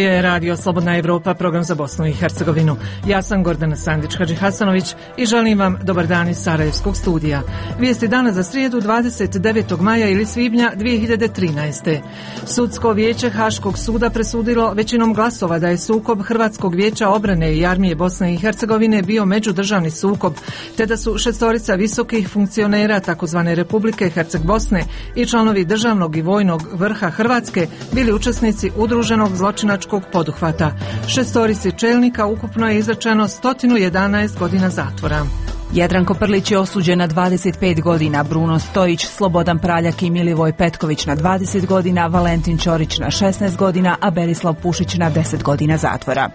je Radio Slobodna Evropa, program za Bosnu i Hercegovinu. Ja sam Gordana Sandić-Hadžihasanović i želim vam dobar dan iz Sarajevskog studija. Vijesti dana za srijedu 29. maja ili svibnja 2013. Sudsko vijeće Haškog suda presudilo većinom glasova da je sukob Hrvatskog vijeća obrane i armije Bosne i Hercegovine bio međudržavni sukob, te da su 6 visokih funkcionera takozvane Republike Herceg Bosne i članovi državnog i vojnog vrha Hrvatske bili učesnici udruženog zločinačkog poduhvata. 6 čelnika ukupno je izrečeno 111 godina zatvora. Jadranko Prlić je osuđen na 25 godina, Bruno Stojić, Slobodan Praljak i Milivoj Petković na 20 godina, Valentin Ćorić na 16 godina, a Berislav Pušić na 10 godina zatvora.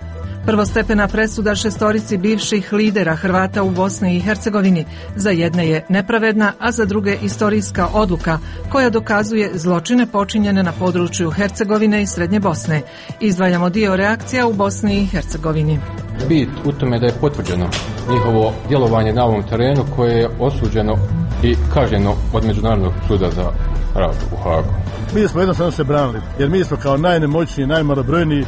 Prvostepena presuda 6 bivših lidera Hrvata u Bosni i Hercegovini. Za jedne je nepravedna, a za druge istorijska odluka koja dokazuje zločine počinjene na području Hercegovine i Srednje Bosne. Izdvajamo dio reakcija u Bosni i Hercegovini. Bit u tome da je potvrđeno njihovo djelovanje na ovom terenu koje je osuđeno i kažnjeno od Međunarodnog suda za rad u Hagu. Mi smo jednostavno se branili, jer mi smo kao najnemoćniji, najmalobrojniji,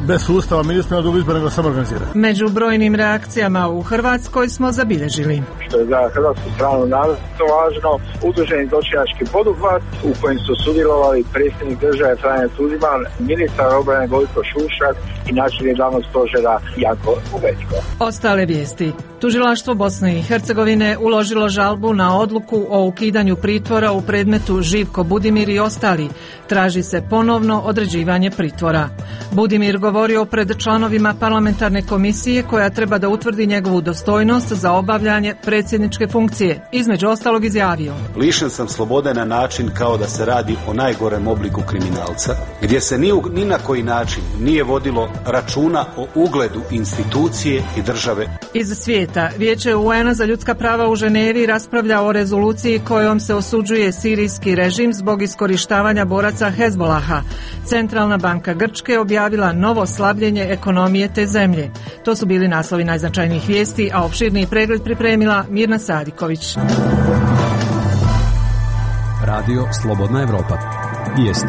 bez sustava, mi nismo na drugu izbor nego samo organizirati. Među brojnim reakcijama u Hrvatskoj smo zabilježili. Što je za hrvatsku stranu naravno važno, udruženi zločinački poduhvat u kojem su sudjelovali predsjednik države Franjo Tuđman, ministar obrane Gojko Šušak i načelnik glavnog stožera Janko Uvećko. Ostale vijesti. Tužilaštvo Bosne i Hercegovine uložilo žalbu na odluku o ukidanju pritvora u predmetu Živko Budimir i ostali. Traži se ponovno određivanje pritvora. Budimir govorio pred članovima parlamentarne komisije koja treba da utvrdi njegovu dostojnost za obavljanje predsjedničke funkcije. Između ostalog izjavio: lišen sam slobode na način kao da se radi o najgorem obliku kriminalca, gdje se ni na koji način nije vodilo računa o ugledu institucije i države. Iz svijeta, Vijeće UN-a za ljudska prava u Ženevi raspravlja o rezoluciji kojom se osuđuje sirijski režim zbog iskorištavanja boraca Hezbolaha. Centralna banka Grčke objavila novo slabljenje ekonomije te zemlje. To su bili naslovi najznačajnijih vijesti, a opširniji pregled pripremila Mirna Sadiković. Radio Slobodna Evropa. Vijesti.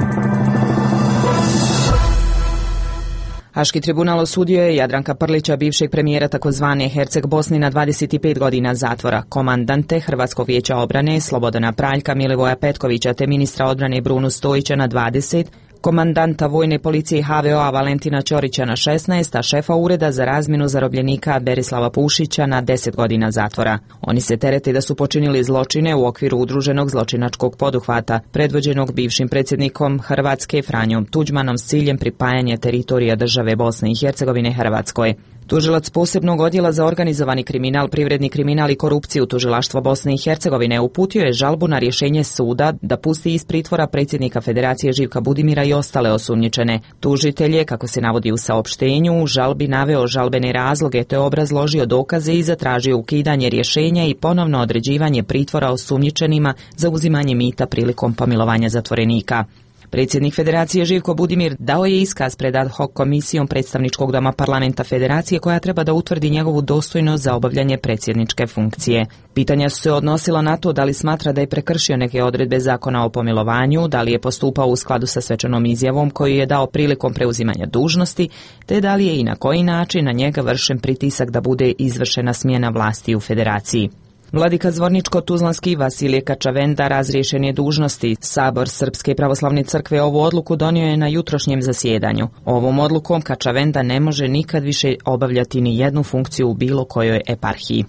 Haški tribunal osudio je Jadranka Prlića, bivšeg premijera takozvane Herceg Bosni, na 25 godina zatvora. Komandante Hrvatskog vijeća obrane Slobodana Praljka, Milivoja Petkovića te ministra odbrane Brunu Stojića na 20, komandanta vojne policije HVO-a Valentina Ćorića na 16, a šefa ureda za razmjenu zarobljenika Berislava Pušića na 10 godina zatvora. Oni se terete da su počinili zločine u okviru udruženog zločinačkog poduhvata, predvođenog bivšim predsjednikom Hrvatske Franjom Tuđmanom s ciljem pripajanja teritorija države Bosne i Hercegovine Hrvatskoj. Tužilac posebnog odjela za organizovani kriminal, privredni kriminal i korupciju Tužilaštva Bosne i Hercegovine uputio je žalbu na rješenje suda da pusti iz pritvora predsjednika Federacije Živka Budimira i ostale osumnjičene. Tužitelj je, kako se navodi u saopštenju, u žalbi naveo žalbene razloge te obrazložio dokaze i zatražio ukidanje rješenja i ponovno određivanje pritvora osumnjičenima za uzimanje mita prilikom pomilovanja zatvorenika. Predsjednik Federacije Živko Budimir dao je iskaz pred ad hoc komisijom predstavničkog doma parlamenta Federacije koja treba da utvrdi njegovu dostojnost za obavljanje predsjedničke funkcije. Pitanja su se odnosila na to da li smatra da je prekršio neke odredbe zakona o pomilovanju, da li je postupao u skladu sa svečanom izjavom koju je dao prilikom preuzimanja dužnosti, te da li je i na koji način na njega vršen pritisak da bude izvršena smjena vlasti u Federaciji. Vladika Zvorničko-Tuzlanski Vasilije Kačavenda razriješen je dužnosti. Sabor Srpske pravoslavne crkve ovu odluku donio je na jutrošnjem zasjedanju. Ovom odlukom Kačavenda ne može nikad više obavljati ni jednu funkciju u bilo kojoj eparhiji.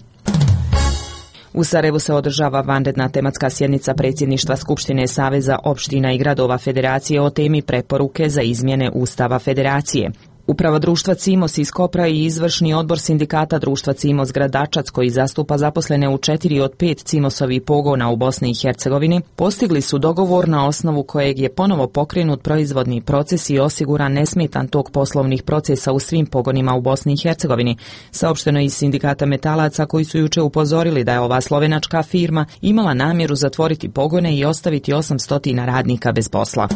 U Sarajevu se održava vanredna tematska sjednica predsjedništva Skupštine Saveza opština i gradova Federacije o temi preporuke za izmjene Ustava Federacije. Uprava društva Cimos iz Kopra i izvršni odbor sindikata društva Cimos Gradačac, koji zastupa zaposlene u 4 od 5 Cimosovih pogona u Bosni i Hercegovini, postigli su dogovor na osnovu kojeg je ponovo pokrenut proizvodni proces i osiguran nesmetan tok poslovnih procesa u svim pogonima u Bosni i Hercegovini, saopšteno iz sindikata metalaca, koji su juče upozorili da je ova slovenačka firma imala namjeru zatvoriti pogone i ostaviti 800 radnika bez posla.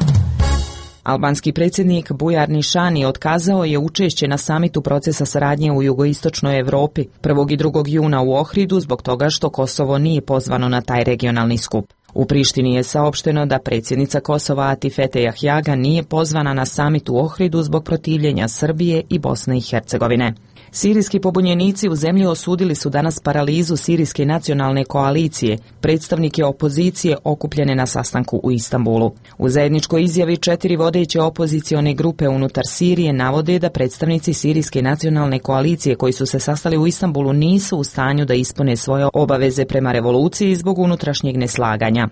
Albanski predsjednik Bujar Nišani otkazao je učešće na samitu procesa saradnje u jugoistočnoj Evropi 1. i 2. juna u Ohridu zbog toga što Kosovo nije pozvano na taj regionalni skup. U Prištini je saopšteno da predsjednica Kosova Atifete Jahjaga nije pozvana na samit u Ohridu zbog protivljenja Srbije i Bosne i Hercegovine. Sirijski pobunjenici u zemlji osudili su danas paralizu Sirijske nacionalne koalicije, predstavnike opozicije okupljene na sastanku u Istanbulu. U zajedničkoj izjavi 4 vodeće opozicione grupe unutar Sirije navode da predstavnici Sirijske nacionalne koalicije koji su se sastali u Istanbulu nisu u stanju da ispune svoje obaveze prema revoluciji zbog unutrašnjeg neslaganja.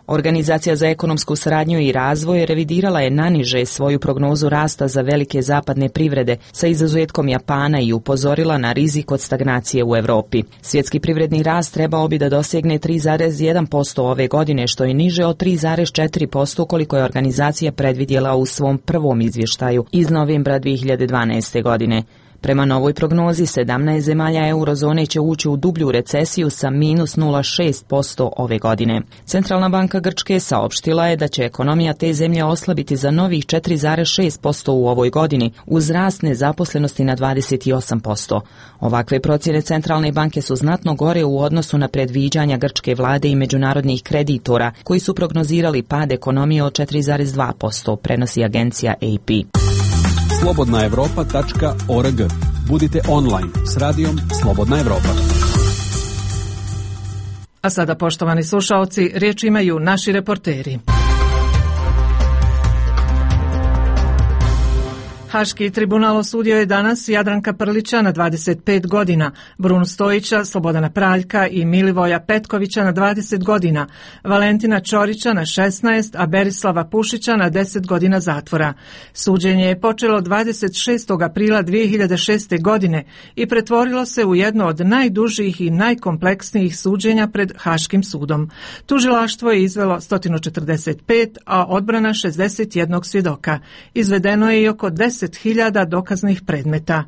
Organizacija za ekonomsku saradnju i razvoj revidirala je naniže svoju prognozu rasta za velike zapadne privrede sa izuzetkom Japana i upozorila na rizik od stagnacije u Europi. Svjetski privredni rast trebao bi da dosegne 3,1% ove godine, što je niže od 3,4% koliko je organizacija predvidjela u svom prvom izvještaju iz novembra 2012. godine. Prema novoj prognozi, 17 zemalja eurozone će ući u dublju recesiju sa minus 0,6% ove godine. Centralna banka Grčke saopštila je da će ekonomija te zemlje oslabiti za novih 4,6% u ovoj godini, uz rast nezaposlenosti na 28%. Ovakve procjene centralne banke su znatno gore u odnosu na predviđanja grčke vlade i međunarodnih kreditora, koji su prognozirali pad ekonomije od 4,2%, prenosi agencija AP. slobodnaevropa.org. Budite online s radijom Slobodna Evropa. A sada, poštovani slušaoci, riječ imaju naši reporteri. Haški tribunal osudio je danas Jadranka Prlića na 25 godina, Brunu Stojića, Slobodana Praljka i Milivoja Petkovića na 20 godina, Valentina Ćorića na 16, a Berislava Pušića na 10 godina zatvora. Suđenje je počelo 26. aprila 2006. godine i pretvorilo se u jedno od najdužih i najkompleksnijih suđenja pred Haškim sudom. Tužilaštvo je izvelo 145, a odbrana 61 svjedoka. Izvedeno je i oko 10.000 dokaznih predmeta.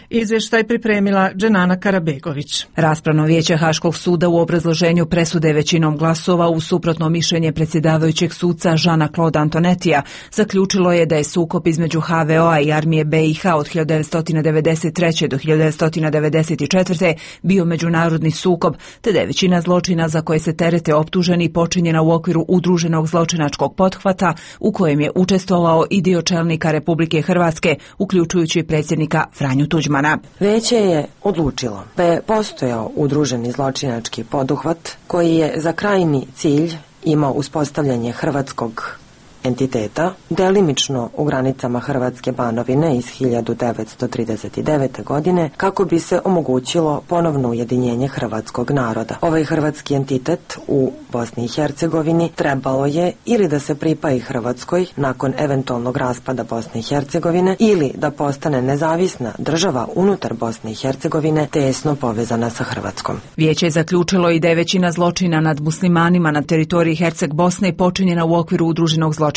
Izvještaj pripremila Dženana Karabegović. Raspravno vijeće Haškog suda u obrazloženju presude većinom glasova uz suprotno mišljenje predsjedavajućeg suca Jeana-Claude Antonetija zaključilo je da je sukob između HVO-a i armije BiH od 1993. do 1994. bio međunarodni sukob, te da je većina zločina za koje se terete optuženi počinjena u okviru udruženog zločinačkog pothvata u kojem je učestvovao i dio čelnika Republike Hrvatske, uključujući predsjednika Franju Tuđmana. Vijeće je odlučilo da je postojao udruženi zločinački poduhvat koji je za krajnji cilj imao uspostavljanje hrvatskog entiteta, delimično u granicama Hrvatske Banovine iz 1939. godine, kako bi se omogućilo ponovno ujedinjenje hrvatskog naroda. Ovaj hrvatski entitet u Bosni i Hercegovini trebalo je ili da se pripaji Hrvatskoj nakon eventualnog raspada Bosne i Hercegovine ili da postane nezavisna država unutar Bosne i Hercegovine tesno povezana sa Hrvatskom. Vijeće je zaključilo i da je većina zločina nad muslimanima na teritoriji Herceg Bosne počinjena u okviru udruženog zločinačkog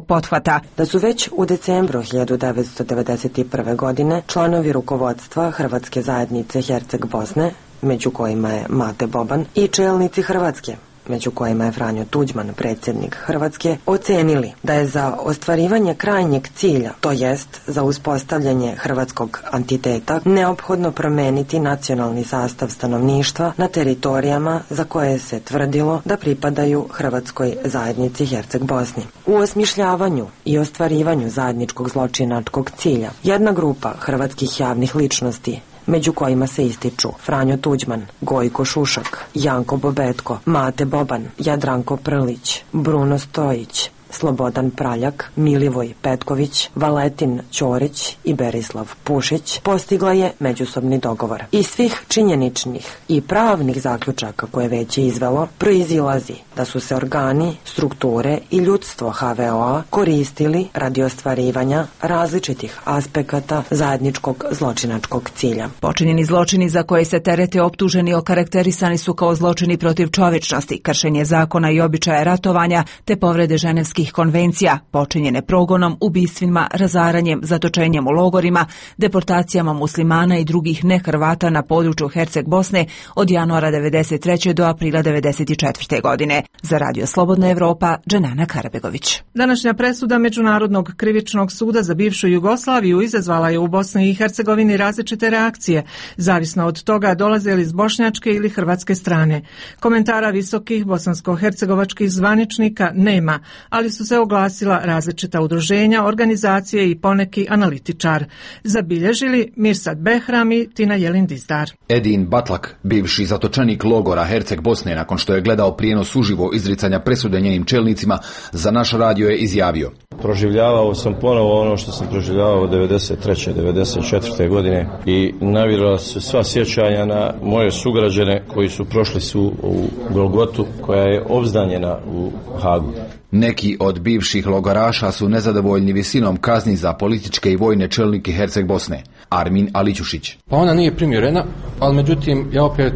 pothvata. Da su već u decembru 1991. godine članovi rukovodstva Hrvatske zajednice Herceg Bosne, među kojima je Mate Boban, i čelnici Hrvatske, među kojima je Franjo Tuđman, predsjednik Hrvatske, ocenili da je za ostvarivanje krajnjeg cilja, to jest za uspostavljanje hrvatskog entiteta, neophodno promeniti nacionalni sastav stanovništva na teritorijama za koje se tvrdilo da pripadaju Hrvatskoj zajednici Herceg Bosni. U osmišljavanju i ostvarivanju zajedničkog zločinačkog cilja, jedna grupa hrvatskih javnih ličnosti, među kojima se ističu Franjo Tuđman, Gojko Šušak, Janko Bobetko, Mate Boban, Jadranko Prlić, Bruno Stojić, Slobodan Praljak, Milivoj Petković, Valentin Ćorić i Berislav Pušić, postigla je međusobni dogovor. Iz svih činjeničnih i pravnih zaključaka koje već je izvelo, proizilazi da su se organi, strukture i ljudstvo HVO-a koristili radi ostvarivanja različitih aspekata zajedničkog zločinačkog cilja. Počinjeni zločini za koje se terete optuženi okarakterisani su kao zločini protiv čovječnosti, kršenje zakona i običaja ratovanja te povrede ženevskih ženevskih konvencija, počinjene progonom, ubistvima, razaranjem, zatočenjem u logorima, deportacijama muslimana i drugih nehrvata na području Herceg Bosne od januara 1993. do aprila 1994. godine. Za Radio Slobodna Evropa, Dženana Karabegović. Današnja presuda Međunarodnog krivičnog suda za bivšu Jugoslaviju izazvala je u Bosni i Hercegovini različite reakcije, zavisno od toga dolaze li iz bošnjačke ili hrvatske strane. Komentara visokih bosansko-hercegovačkih zvaničnika nema, ali su se oglasila različita udruženja, organizacije i poneki analitičar. Zabilježili Mirsad Behram i Tina Jelin Dizdar. Edin Batlak, bivši zatočenik logora Herceg Bosne, nakon što je gledao prijenos uživo izricanja presude njenim čelnicima, za naš radio je izjavio: proživljavao sam ponovo ono što sam proživljavao 93. 94. godine i navirala su sva sjećanja na moje sugrađane koji su prošli u Golgotu koja je obznanjena u Hagu. Neki od bivših logoraša su nezadovoljni visinom kazni za političke i vojne čelnike Herceg Bosne. Armin Alićušić. Pa ona nije primjerena, ali međutim ja opet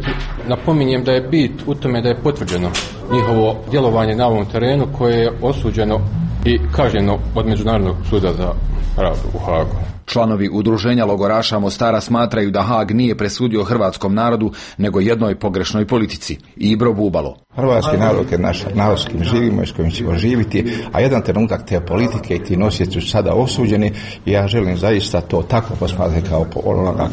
napominjem da je bit u tome da je potvrđeno njihovo djelovanje na ovom terenu koje je osuđeno i kažnjeno od Međunarodnog suda za rad u Hagu. Članovi udruženja logoraša Mostara smatraju da Hag nije presudio hrvatskom narodu, nego jednoj pogrešnoj politici. Ibro Bubalo. Hrvatski narod je naš narod s kojim živimo i s kojim ćemo živiti, a jedan trenutak te politike i ti nosioci su sada osuđeni i ja želim zaista to tako posmatrati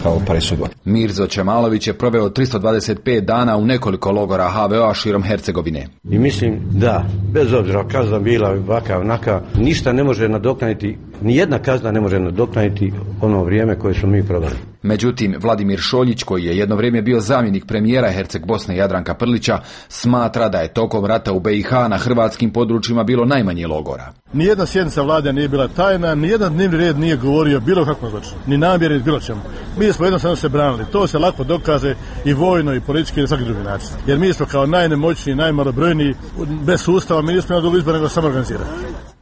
kao presudu. Mirzo Čemalović je proveo 325 dana u nekoliko logora HVO-a širom Hercegovine. I mislim da, bez obzira kazna bila ovakav onaka, ništa ne može nadoknaditi, nijedna kazna ne može nadoknaditi ono vrijeme koje smo mi proveli. Međutim, Vladimir Šoljić, koji je jedno vrijeme bio zamjenik premijera Herceg Bosne Jadranka Prlića, smatra da je tokom rata u BiH na hrvatskim područjima bilo najmanje logora. Nijedna sjednica vlade nije bila tajna, nijedan dnevni red nije govorio bilo kakvom zločinu, ni namjeri, bilo čemu. Mi smo jednostavno se branili. To se lako dokaže i vojno, i politički, i na svaki drugi način. Jer mi smo kao najnemoćniji, najmalobrojniji, bez sustava, mi nismo imali izbor nego samoorganizirati.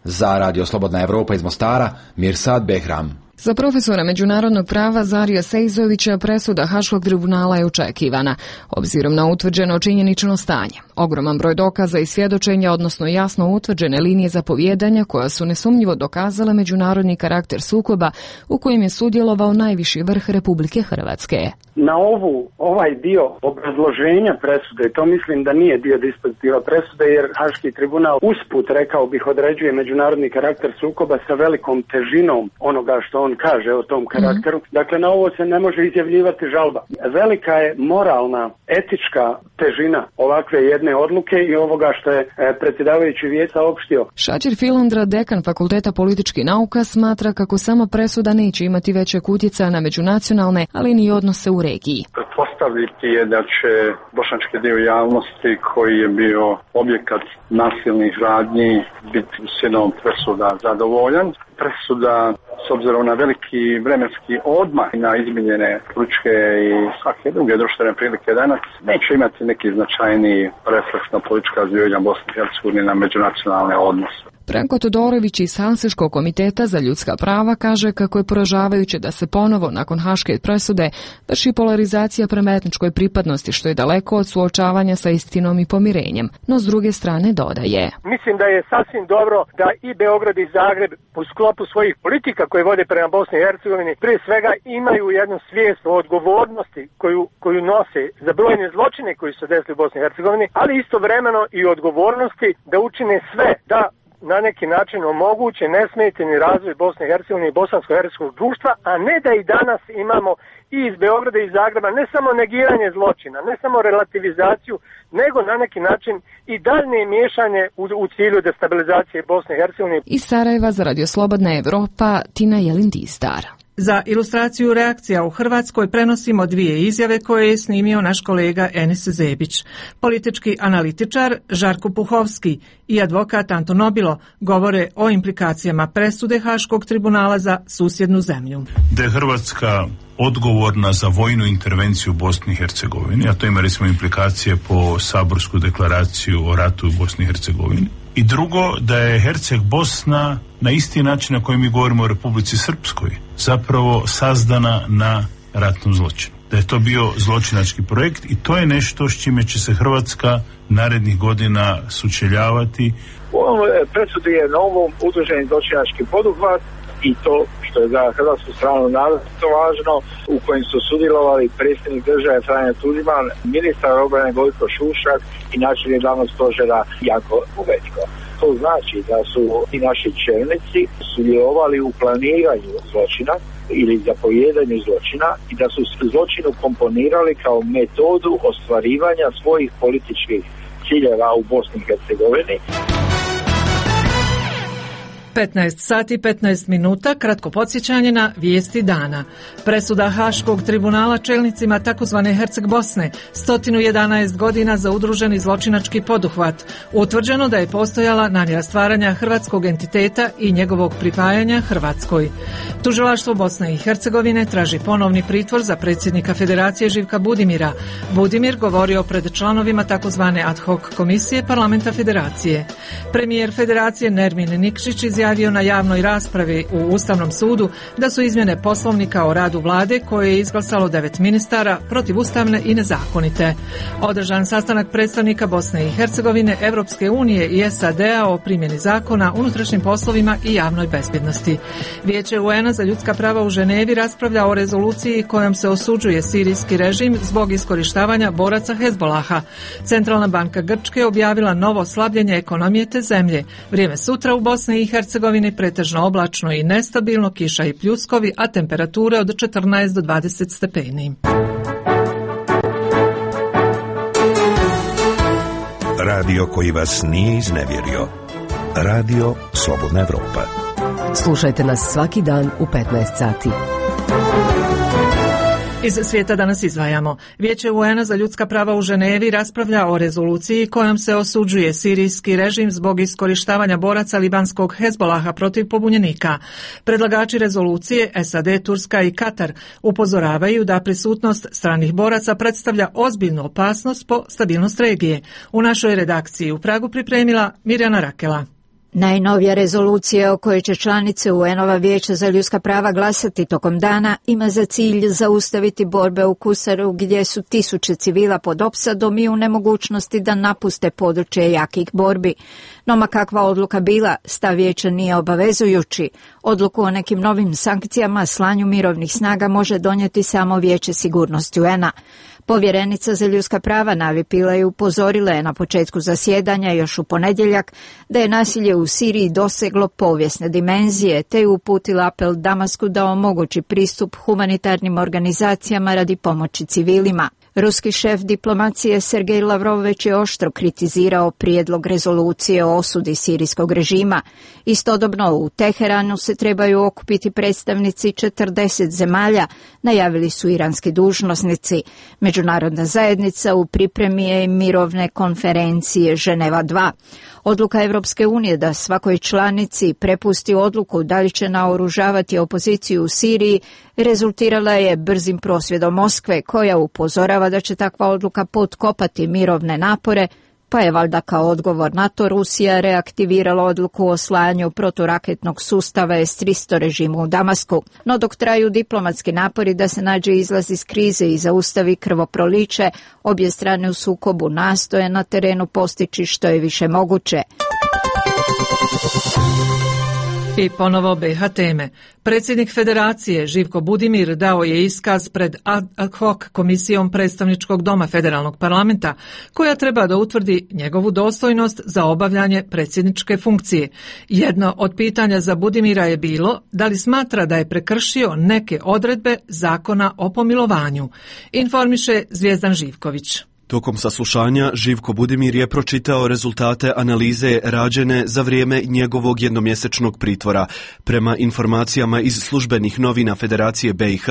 Za Radio Slobodna Evropa iz Mostara, Mirsad Behram. Za profesora međunarodnog prava Zarija Sejzovića presuda Haškog tribunala je očekivana, obzirom na utvrđeno činjenično stanje. Ogroman broj dokaza i svjedočenja, odnosno jasno utvrđene linije zapovijedanja koja su nesumnjivo dokazale međunarodni karakter sukoba u kojem je sudjelovao najviši vrh Republike Hrvatske. Na ovaj dio obrazloženja presude, to mislim da nije dio dispozitiva presude, jer Haški tribunal usput, rekao bih, određuje međunarodni karakter sukoba sa velikom težinom onoga što on kaže o tom karakteru. Dakle, na ovo se ne može izjavljivati žalba. Velika je moralna, etička težina ovakve jedne odluke i ovoga što je predsjedavajući vijeća saopštio. Šačir Filandra, dekan Fakulteta političkih nauka, smatra kako samo presuda neće imati većeg utjecaja na međunacionalne, ali ni odnose u regiji. Pretpostaviti je da će bošnjački dio javnosti koji je bio objekat nasilnih radnji biti sinom presuda zadovoljan. Presuda, s obzirom na veliki vremenski odmah i na izmijenjene političke i svake druge društvene prilike danas, neće imati neki značajniji refleks na politička zbivanja Bosne i Hercegovine na međunacionalne odnose. Branko Todorović iz Helsinškog komiteta za ljudska prava kaže kako je poražavajuće da se ponovo nakon haške presude vrši polarizacija prema etničkoj pripadnosti, što je daleko od suočavanja sa istinom i pomirenjem. No s druge strane dodaje: mislim da je sasvim dobro da i Beograd i Zagreb u sklopu svojih politika koje vode prema Bosni i Hercegovini prije svega imaju jednu svijest o odgovornosti koju nose za brojne zločine koji su desili u Bosni i Hercegovini, ali istovremeno i odgovornosti da učine sve da na neki način omoguće nesmetani razvoj Bosne i Hercegovine i bosansko-hercegovskog društva, a ne da i danas imamo i iz Beograda i iz Zagreba ne samo negiranje zločina, ne samo relativizaciju, nego na neki način i daljnje miješanje u cilju destabilizacije Bosne i Hercegovine. Iz Sarajeva za Radio Slobodna Evropa, Tina Jelin Dizdar. Za ilustraciju reakcija u Hrvatskoj prenosimo dvije izjave koje je snimio naš kolega Enis Zebić. Politički analitičar Žarko Puhovski i advokat Anton Nobilo govore o implikacijama presude Haškog tribunala za susjednu zemlju. Da je Hrvatska odgovorna za vojnu intervenciju u Bosni i Hercegovini, a to ima recimo implikacije po saborsku deklaraciju o ratu u Bosni i Hercegovini. I drugo, da je Herceg Bosna na isti način na koji mi govorimo o Republici Srpskoj zapravo sazdana na ratnom zločinu. Da je to bio zločinački projekt i to je nešto s čime će se Hrvatska narednih godina sučeljavati U ovom presudi je na ovom udruženi zločinački poduhvat i to što je za hrvatsku stranu naročito važno, u kojem su sudjelovali predsjednik države Franjo Tuđman, ministar obrane Gojko Šušak i načelnik glavnog stožera Janko Bobetko. To znači da su i naši čelnici sudjelovali u planiranju zločina ili zapovijedanju zločina i da su zločinu komponirali kao metodu ostvarivanja svojih političkih ciljeva u Bosni i Hercegovini. 15 sati 15 minuta, kratko podsjećanje na vijesti dana. Presuda Haškog tribunala čelnicima takozvane Herceg Bosne, 111 godina za udruženi zločinački poduhvat. Utvrđeno da je postojala namjera stvaranja hrvatskog entiteta i njegovog pripajanja Hrvatskoj. Tužilaštvo Bosne i Hercegovine traži ponovni pritvor za predsjednika Federacije Živka Budimira. Budimir govorio pred članovima takozvane ad hoc komisije parlamenta Federacije. Premijer Federacije Nermin Nikšić izjavio na javnoj raspravi u Ustavnom sudu da su izmjene poslovnika o radu vlade koje je izglasalo 9 ministara protivustavne i nezakonite. Održan sastanak predstavnika Bosne i Hercegovine, Evropske unije i SAD-a o primjeni zakona, unutrašnjim poslovima i javnoj bezbjednosti. Vijeće UN-a za ljudska prava u Ženevi raspravlja o rezoluciji kojom se osuđuje sirijski režim zbog iskorištavanja boraca Hezbolaha. Centralna banka Grčke objavila novo slabljenje ekonomije te zemlje. Vrijeme sutra u Bosni i Hercegovini pretežno oblačno i nestabilno, kiša i pljuskovi, a temperature od 14 do 20 stepeni. Radio koji vas nije iznevjerio. Radio Slobodna Evropa. Slušajte nas svaki dan u 15 sati. Iz svijeta danas izdvajamo. Vijeće UN-a za ljudska prava u Ženevi raspravlja o rezoluciji kojom se osuđuje sirijski režim zbog iskorištavanja boraca libanskog Hezbolaha protiv pobunjenika. Predlagači rezolucije, SAD, Turska i Katar, upozoravaju da prisutnost stranih boraca predstavlja ozbiljnu opasnost po stabilnost regije. U našoj redakciji u Pragu pripremila Mirjana Rakela. Najnovija rezolucija o kojoj će članice UN-ova vijeća za ljudska prava glasati tokom dana ima za cilj zaustaviti borbe u Kusaru gdje su tisuće civila pod opsadom i u nemogućnosti da napuste područje jakih borbi. No ma kakva odluka bila, stav vijeća nije obavezujući. Odluku o nekim novim sankcijama, slanju mirovnih snaga može donijeti samo Vijeće sigurnosti UN-a. Povjerenica za ljudska prava Navi Pillay upozorila je na početku zasjedanja još u ponedjeljak da je nasilje u Siriji doseglo povijesne dimenzije, te je uputila apel Damasku da omogući pristup humanitarnim organizacijama radi pomoći civilima. Ruski šef diplomacije Sergej Lavrov već je oštro kritizirao prijedlog rezolucije o osudi sirijskog režima. Istodobno u Teheranu se trebaju okupiti predstavnici 40 zemalja, najavili su iranski dužnosnici. Međunarodna zajednica u pripremi je mirovne konferencije Ženeva 2. Odluka Evropske unije da svakoj članici prepusti odluku da li će naoružavati opoziciju u Siriji rezultirala je brzim prosvjedom Moskve, koja upozorava da će takva odluka potkopati mirovne napore, pa je valjda kao odgovor na to Rusija reaktivirala odluku o slanju proturaketnog sustava S-300 režimu u Damasku. No dok traju diplomatski napori da se nađe izlaz iz krize i zaustavi krvoproliće, obje strane u sukobu nastoje na terenu postići što je više moguće. I ponovo BiH teme. Predsjednik Federacije Živko Budimir dao je iskaz pred ad hoc komisijom predstavničkog doma federalnog parlamenta, koja treba da utvrdi njegovu dostojnost za obavljanje predsjedničke funkcije. Jedno od pitanja za Budimira je bilo da li smatra da je prekršio neke odredbe zakona o pomilovanju. Informiše Zvijezdan Živković. Tokom saslušanja Živko Budimir je pročitao rezultate analize rađene za vrijeme njegovog jednomjesečnog pritvora. Prema informacijama iz službenih novina Federacije BiH,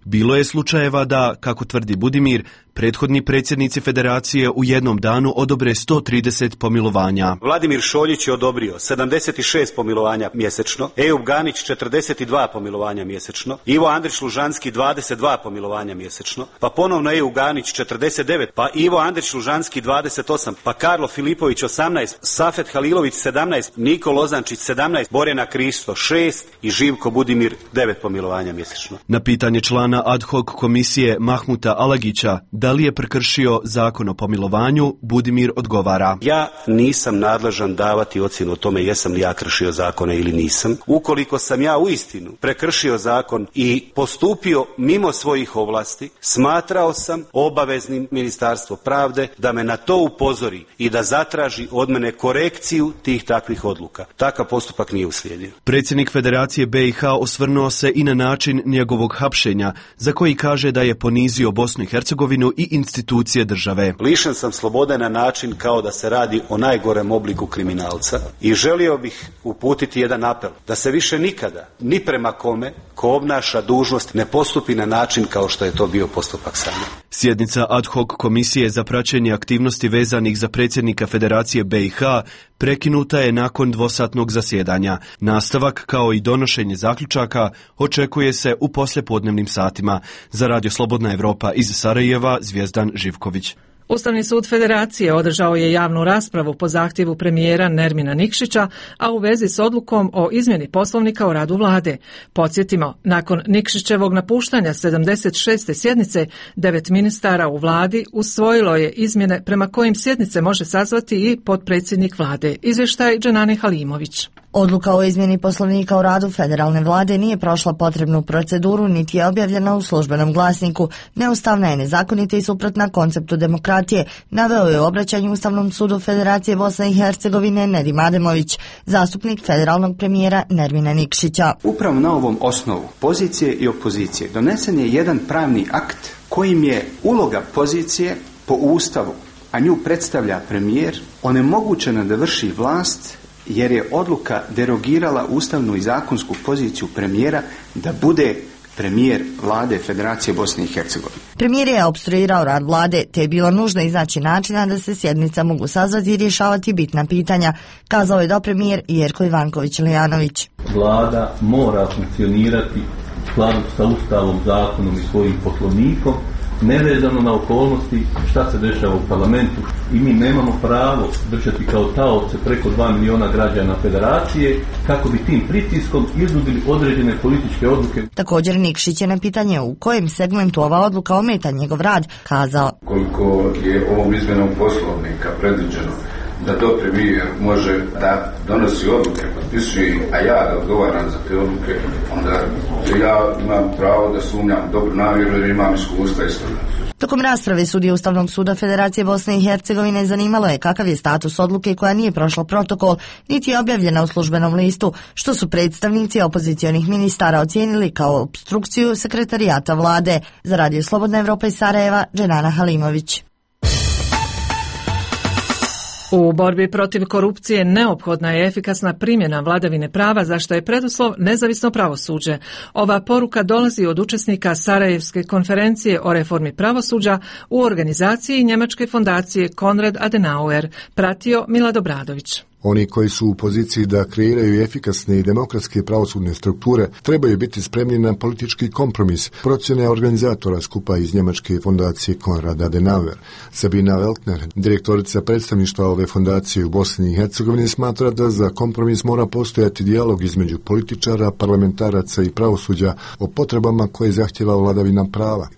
bilo je slučajeva da, kako tvrdi Budimir, prethodni predsjednici Federacije u jednom danu odobre 130 pomilovanja. Vladimir Šoljić je odobrio 76 pomilovanja mjesečno, Ejub Ganić 42 pomilovanja mjesečno, Ivo Andrić Lužanski 22 pomilovanja mjesečno, pa ponovno Ejub Ganić 49, pa Ivo Andrić Lužanski 28, pa Karlo Filipović 18, Safet Halilović 17, Niko Lozančić 17, Borjana Kristo 6 i Živko Budimir 9 pomilovanja mjesečno. Na pitanje člana ad hoc komisije Mahmuta Alagića da li je prekršio zakon o pomilovanju, Budimir odgovara: ja nisam nadležan davati ocjenu o tome jesam li ja kršio zakone ili nisam. Ukoliko sam ja uistinu prekršio zakon i postupio mimo svojih ovlasti, smatrao sam obaveznim Ministarstvo pravde da me na to upozori i da zatraži od mene korekciju tih takvih odluka. Takav postupak nije uslijedio. Predsjednik Federacije BiH osvrnuo se i na način njegovog hapšenja, za koji kaže da je ponizio Bosnu i Hercegovinu i institucije države. Lišen sam slobode na način kao da se radi o najgorem obliku kriminalca i želio bih uputiti jedan apel da se više nikada, ni prema kome ko obnaša dužnost, ne postupi na način kao što je to bio postupak sa mnom. Sjednica ad hoc komisije za praćenje aktivnosti vezanih za predsjednika Federacije BiH prekinuta je nakon dvosatnog zasjedanja. Nastavak, kao i donošenje zaključaka, očekuje se u poslijepodnevnim satima. Za Radio Slobodna Evropa iz Sarajeva, Zvijezdan Živković. Ustavni sud Federacije održao je javnu raspravu po zahtjevu premijera Nermina Nikšića, a u vezi s odlukom o izmjeni poslovnika o radu vlade. Podsjetimo, nakon Nikšićevog napuštanja 76. sjednice, 9 ministara u vladi usvojilo je izmjene prema kojim sjednice može sazvati i potpredsjednik vlade. Izvještaj Dženane Halimović. Odluka o izmjeni poslovnika o radu federalne vlade nije prošla potrebnu proceduru niti je objavljena u službenom glasniku. Neustavna je, nezakonita i suprotna konceptu demokratije, naveo je u obraćanju Ustavnom sudu Federacije Bosne i Hercegovine Nedim Ademović, zastupnik federalnog premijera Nermina Nikšića. Upravo na ovom osnovu pozicije i opozicije donesen je jedan pravni akt kojim je uloga pozicije po Ustavu, a nju predstavlja premijer, onemogućena da vrši vlast jer je odluka derogirala ustavnu i zakonsku poziciju premijera da bude premijer vlade Federacije Bosne i Hercegovine. Premijer je opstruirao rad vlade, te je bilo nužno iznaći načina da se sjednica mogu sazvati i rješavati bitna pitanja, kazao je dopremijer Jerko Ivanković-Lijanović. Vlada mora funkcionirati u skladu sa Ustavom, zakonom i svojim poslovnikom, nevezano na okolnosti šta se dešava u parlamentu, i mi nemamo pravo držati kao taoce preko 2 miliona građana Federacije kako bi tim pritiskom izudili određene političke odluke. Također Nikšić je na pitanje u kojem segmentu ova odluka ometa njegov rad kazao: koliko je ovom izmjenom poslovnika predviđeno da to premijer može da donosi odluke, potpisuje, a ja da odgovaram za te odluke, onda ja imam pravo da sumnjam dobru namjeru jer imam iskustva i toga. Tokom rasprave sudije Ustavnog suda Federacije Bosne i Hercegovine zanimalo je kakav je status odluke koja nije prošla protokol, niti je objavljena u službenom listu, što su predstavnici opozicionih ministara ocijenili kao opstrukciju sekretarijata vlade. Za Radio Slobodna Evropa iz Sarajeva, Dženana Halimović. U borbi protiv korupcije neophodna je efikasna primjena vladavine prava, za što je preduslov nezavisno pravosuđe. Ova poruka dolazi od učesnika Sarajevske konferencije o reformi pravosuđa u organizaciji njemačke fondacije Konrad Adenauer, pratio Milad Obradović. Oni koji su u poziciji da kreiraju efikasne i demokratske pravosudne strukture trebaju biti spremni na politički kompromis, procjene organizatora skupa iz njemačke fondacije Konrad Adenauer. Sabina Weltner, direktorica predstavništva ove fondacije u Bosni i Hercegovini, smatra da za kompromis mora postojati dijalog između političara, parlamentaraca i pravosuđa o potrebama koje zahtjeva vladavina prava.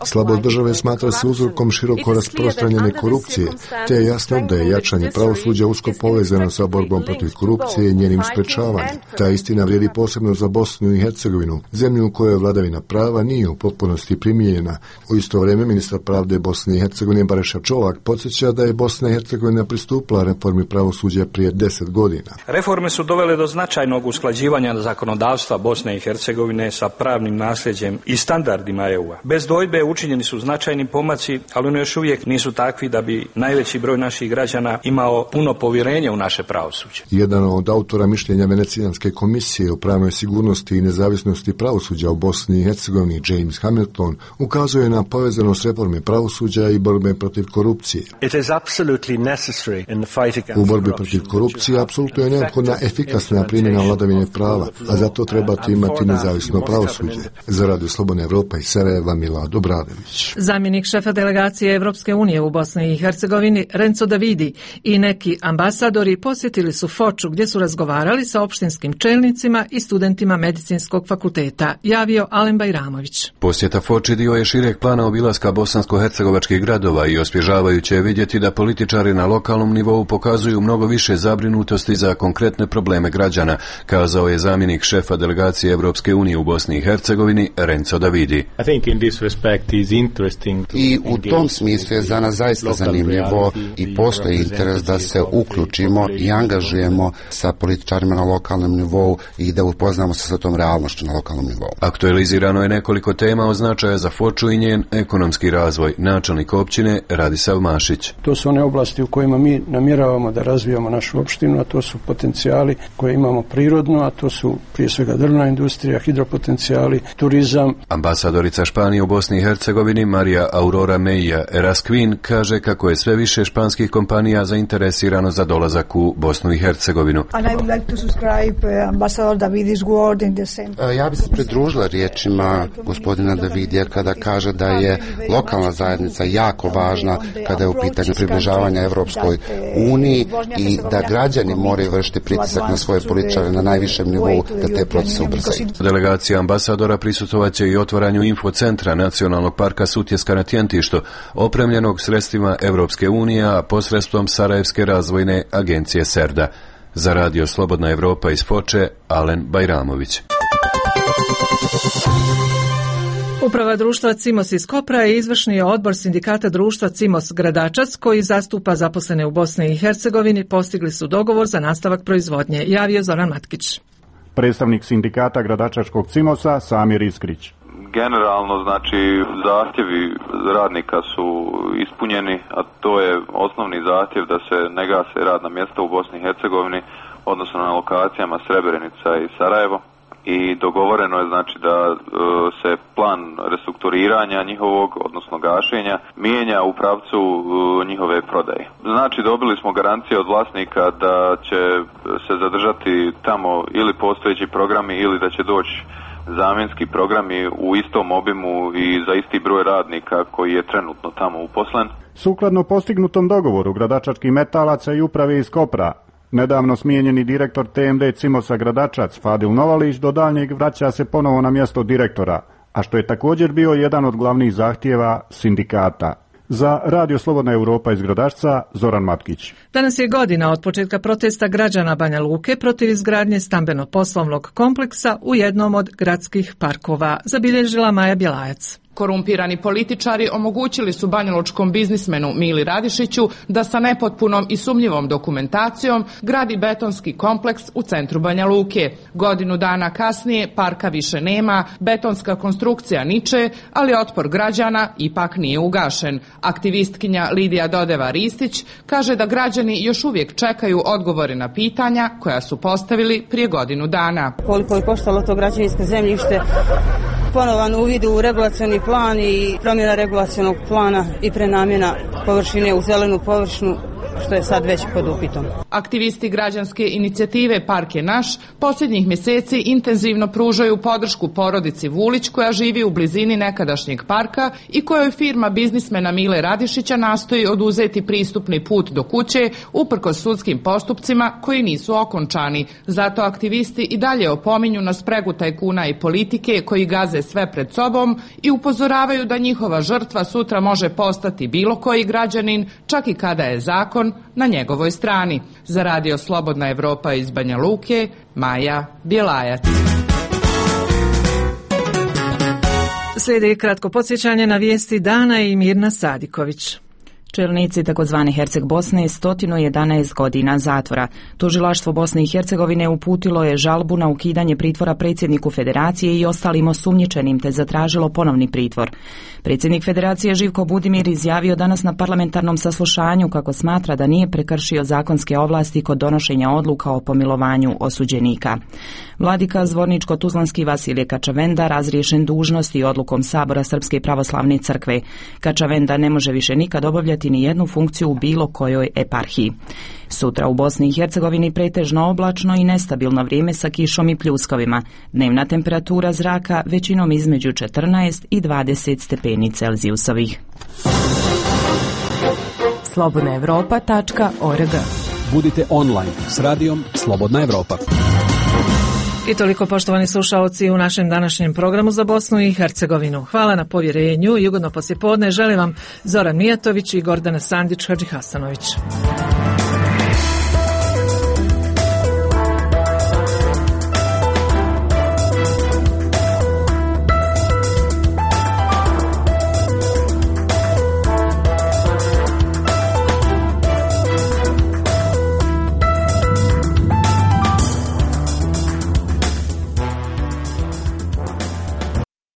Slabost države smatra se uzrokom široko rasprostranjene korupcije, te je jasno da je jačanje pravosuđa usko povezano sa borbom protiv korupcije i njenim sprečavanjem. Ta istina vrijedi posebno za Bosnu i Hercegovinu, zemlju u kojoj vladavina prava nije u potpunosti primijenjena. U isto vrijeme ministar pravde Bosne i Hercegovine Bareša Čolak podsjeća da je Bosna i Hercegovina pristupila reformi pravosuđa prije 10 godina. Reforme su dovele do značajnog usklađivanja zakonodavstva Bosne i Hercegovine sa pravnim nasljeđem i standardima EU-a. Bez dvojbe učinjeni su značajni pomaci, ali oni još uvijek nisu takvi da bi najveći broj naših građana imao puno povjerenje u naše pravosuđe. Jedan od autora mišljenja Venecijanske komisije o pravnoj sigurnosti i nezavisnosti pravosuđa u Bosni i Hercegovini, James Hamilton, ukazuje na povezanost reforme pravosuđa i borbe protiv korupcije. U borbi protiv korupcije apsolutno je neophodna efikasna primjena vladavine prava, a zato trebate imati nezavisno pravosuđe. Za Radio Slobodna Evropa iz Sarajeva, Milad Obradović. Zamjenik šefa delegacije Evropske unije u Bosni i Hercegovini, Renzo Davidi, i neki ambasadori posjetili su Foču gdje su razgovarali sa opštinskim čelnicima i studentima medicinskog fakulteta, javio Alen Bajramović. Posjeta Foči dio je šireg plana obilaska bosansko-hercegovačkih gradova i osvježavajuće je vidjeti da političari na lokalnom nivou pokazuju mnogo više zabrinutosti za konkretne probleme građana, kazao je zamjenik šefa delegacije Evropske unije u Bosni i Hercegovini, Renzo Davidi. I u tom smislu je za nas zaista zanimljivo i postoji interes da se uključimo i angažujemo sa političarima na lokalnom nivou i da upoznamo se sa tom realnošću na lokalnom nivou. Aktualizirano je nekoliko tema od značaja za Foču i njen ekonomski razvoj. Načelnik općine Radisav Mašić. To su one oblasti u kojima mi namjeravamo da razvijamo našu opštinu, a to su potencijali koje imamo prirodno, a to su prije svega drvna industrija, hidropotencijali, turizam. Ambasadorica Španije u Bosni i Hercegovini Marija Aurora Meija Erasquin kaže kako je sve više španskih kompanija zainteresirano za dolazak u Bosnu i Hercegovinu. Ja bih se pridružila riječima gospodina Davidija kada kaže da je lokalna zajednica jako važna kada je u pitanju približavanja Evropskoj uniji i da građani moraju vršiti pritisak na svoje političare na najvišem nivou da te procese ubrzaju. Delegacija ambasadora prisustvovaće i otvaranju infocentra Nacionalnog parka Sutjeska na Tjentištu, opremljenog sredstvima Evropske unije, a posredstvom Sarajevske razvojne agencije Serda. Za Radio Slobodna Evropa iz Foče, Alen Bajramović. Uprava društva Cimos iz Kopra i izvršni odbor sindikata društva Cimos Gradačac, koji zastupa zaposlene u Bosni i Hercegovini, postigli su dogovor za nastavak proizvodnje, javio Zoran Matkić. Predstavnik sindikata Gradačačkog Cimosa Samir Iskrić. Generalno, znači, zahtjevi radnika su ispunjeni, a to je osnovni zahtjev da se ne gase radna mjesta u Bosni i Hercegovini, odnosno na lokacijama Srebrenica i Sarajevo. I dogovoreno je znači da se plan restrukturiranja njihovog, odnosno gašenja, mijenja u pravcu njihove prodaje. Znači dobili smo garancije od vlasnika da će se zadržati tamo ili postojeći programi ili da će doći zamjenski programi u istom obimu i za isti broj radnika koji je trenutno tamo uposlen. Sukladno postignutom dogovoru gradačačkih metalaca i uprave iz Kopra, nedavno smijenjeni direktor TMD Cimosa Gradačac Fadil Novalić do daljnjeg vraća se ponovo na mjesto direktora, a što je također bio jedan od glavnih zahtjeva sindikata. Za Radio Slobodna Europa iz Gradačca, Zoran Matkić. Danas je godina od početka protesta građana Banja Luke protiv izgradnje stambeno-poslovnog kompleksa u jednom od gradskih parkova, zabilježila Maja Bjelajac. Korumpirani političari omogućili su banjalučkom biznismenu Mili Radišiću da sa nepotpunom i sumnjivom dokumentacijom gradi betonski kompleks u centru Banja Luke. Godinu dana kasnije parka više nema, betonska konstrukcija niče, ali otpor građana ipak nije ugašen. Aktivistkinja Lidija Dodeva-Ristić kaže da građani još uvijek čekaju odgovore na pitanja koja su postavili prije godinu dana. Koliko je koštalo to građevinsko zemljište, ponovan uvid u regulacioni plan i promjena regulacionog plana i prenamjena površine u zelenu površinu, što je sad već pod upitom. Aktivisti građanske inicijative Park je naš posljednjih mjeseci intenzivno pružaju podršku porodici Vulić koja živi u blizini nekadašnjeg parka i kojoj firma biznismena Mile Radišića nastoji oduzeti pristupni put do kuće uprkos sudskim postupcima koji nisu okončani. Zato aktivisti i dalje opominju na spregu tajkuna i politike koji gaze sve pred sobom i upozoravaju da njihova žrtva sutra može postati bilo koji građanin, čak i kada je zakon na njegovoj strani. Za Radio Slobodna Evropa iz Banja Luke, Maja Bjelajac. Slijedi kratko podsjećanje na vijesti dana i Mirna Sadiković. Čelnici takozvane Herceg Bosne 111 godina zatvora. Tužilaštvo Bosne i Hercegovine uputilo je žalbu na ukidanje pritvora predsjedniku Federacije i ostalim osumnjičenim te zatražilo ponovni pritvor. Predsjednik Federacije Živko Budimir izjavio danas na parlamentarnom saslušanju kako smatra da nije prekršio zakonske ovlasti kod donošenja odluka o pomilovanju osuđenika. Vladika Zvorničko-Tuzlanski Vasilije Kačavenda razriješen dužnosti odlukom Sabora Srpske pravoslavne crkve. Kačavenda ne može više nikad obavljati ni jednu funkciju u bilo kojoj eparhiji. Sutra u Bosni i Hercegovini pretežno oblačno i nestabilno vrijeme sa kišom i pljuskovima. Dnevna temperatura zraka većinom između 14 i 20 stepeni Celzijusovih. slobodnaevropa.org. Budite online s radijom Slobodna Evropa. I toliko, poštovani slušalci, u našem današnjem programu za Bosnu i Hercegovinu. Hvala na povjerenju i ugodno poslijepodne želim vam Zoran Mijatović i Gordana Sandić Hadžihasanović.